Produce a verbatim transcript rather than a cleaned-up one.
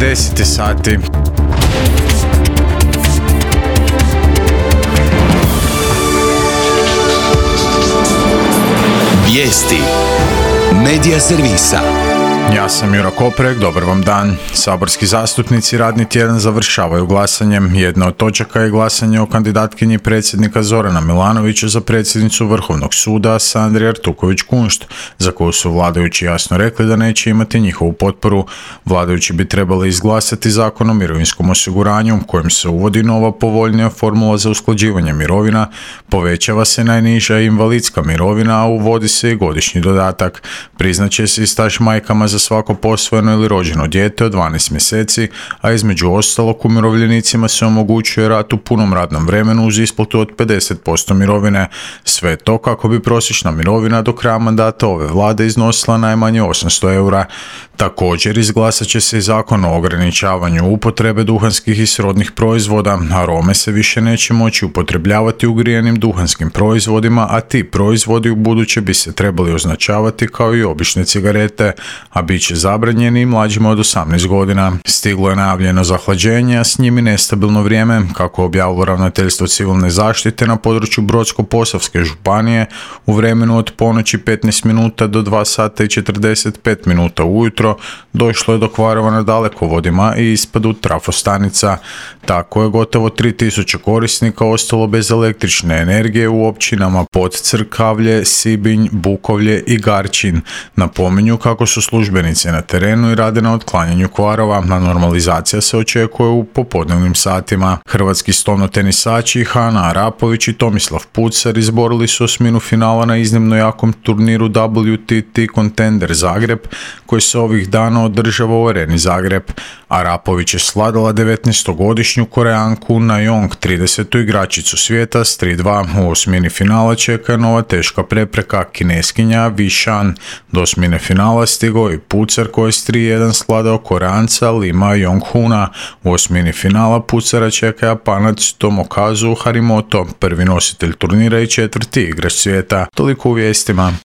deset sati. Vijesti Medija servisa. Ja sam Juro Koprek, dobar vam dan. Saborski zastupnici radni tjedan završavaju glasanjem. Jedna od točaka je glasanje o kandidatkinji predsjednika Zorana Milanovića za predsjednicu Vrhovnog suda Sandri Artuković-Kunšt, za koju su vladajući jasno rekli da neće imati njihovu potporu. Vladajući bi trebali izglasati zakon o mirovinskom osiguranju, kojim se uvodi nova povoljnija formula za usklađivanje mirovina, povećava se najniža invalidska mirovina, a uvodi se i godišnji dodatak. Priznaće se i staž majkama za svako posvojeno ili rođeno dijete od dvanaest mjeseci, a između ostalog umirovljenicima se omogućuje rad u punom radnom vremenu uz isplatu od pedeset posto mirovine. Sve to kako bi prosječna mirovina do kraja mandata ove vlade iznosila najmanje osamsto eura. Također izglasat će se i zakon o ograničavanju upotrebe duhanskih i srodnih proizvoda. Arome se više neće moći upotrebljavati u grijanim duhanskim proizvodima, a ti proizvodi u buduće bi se trebali označavati kao i obične cigarete, a bit će zabranjeni i mlađima od osamnaest godina. Stiglo je najavljeno zahlađenje, a s njim i nestabilno vrijeme, kako objavilo Ravnateljstvo civilne zaštite na području Brodsko-posavske županije. U vremenu od ponoći petnaest minuta do dva sata i četrdeset pet minuta ujutro došlo je do kvarova na dalekovodima i ispadu trafostanica. Tako je gotovo tri tisuće korisnika ostalo bez električne energije u općinama Podcrkavlje, Sibinj, Bukovlje i Garčin. Napominju kako su službenici na terenu i rade na otklanjanju kvarova, a normalizacija se očekuje u popodnevnim satima. Hrvatski stolnotenisači Hana Arapović i Tomislav Pucar izborili su osminu finala na iznimno jakom turniru W T T Contender Zagreb, koji se ovih dana održava u Areni Zagreb. Arapović je svladala devetnaestogodišnju Koreanku Najong, tridesetu igračicu svijeta s tri dva. U osmini finala čeka nova teška prepreka, Kineskinja Wei Shan. Do osmine finala stigao i Pucar koji je s tri jedan svladao Koreanca Lima Yonghuna. U osmini finala Pucara čeka Japanac Tomokazu Harimoto, prvi nositelj turnira i četvrti igrač svijeta. Toliko u vijestima.